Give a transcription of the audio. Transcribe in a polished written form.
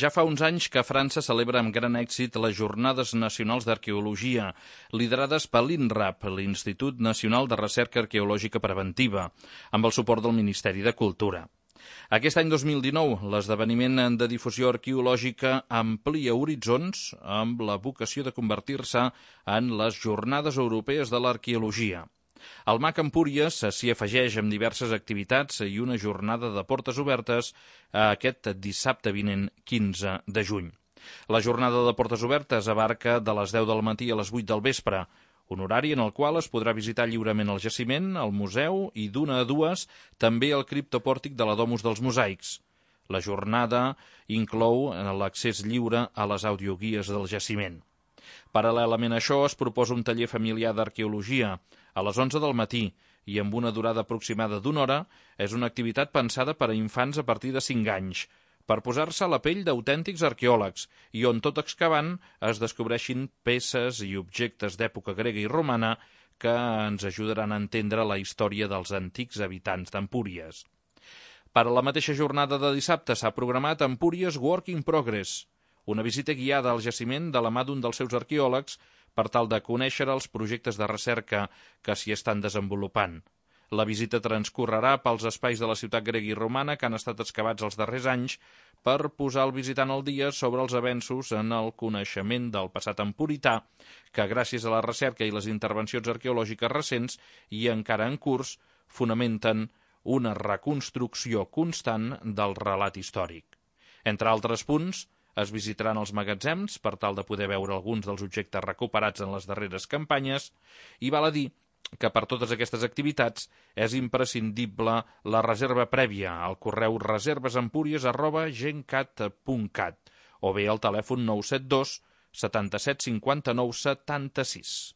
Ja fa uns anys que França celebra amb gran èxit les Jornades Nacionals d'Arqueologia, liderades per l'INRAP, l'Institut Nacional de Recerca Arqueològica Preventiva, amb el suport del Ministeri de Cultura. Aquest any 2019, l'esdeveniment de difusió arqueològica amplia horitzons amb la vocació de convertir-se en les Jornades Europees de l'Arqueologia. El MAC Empúries s'hi afegeix amb diverses activitats i una jornada de portes obertes aquest dissabte vinent 15 de juny. La jornada de portes obertes abarca de les 10 del matí a les 8 del vespre, un horari en el qual es podrà visitar lliurement el jaciment, el museu i d'una a dues també el criptopòrtic de la Domus dels Mosaics. La jornada inclou l'accés lliure a les audioguies del jaciment. Paral·lelament a això es proposa un taller familiar d'arqueologia a les 11 del matí i amb una durada aproximada d'una hora. És una activitat pensada per a infants a partir de 5 anys, per posar-se a la pell d'autèntics arqueòlegs i on tot excavant es descobreixin peces i objectes d'època grega i romana que ens ajudaran a entendre la història dels antics habitants d'Empúries. Per a la mateixa jornada de dissabte s'ha programat Empúries Work in Progress, una visita guiada al jaciment de la mà d'un dels seus arqueòlegs per tal de conèixer els projectes de recerca que s'hi estan desenvolupant. La visita transcorrerà pels espais de la ciutat grega i romana que han estat excavats els darrers anys per posar el visitant al dia sobre els avenços en el coneixement del passat empurità que, gràcies a la recerca i les intervencions arqueològiques recents i encara en curs, fonamenten una reconstrucció constant del relat històric. Entre altres punts, es visitaran els magatzems per tal de poder veure alguns dels objectes recuperats en les darreres campanyes i val a dir que per totes aquestes activitats és imprescindible la reserva prèvia al correu reservesempúries@gencat.cat o bé al telèfon 972 77 59 76.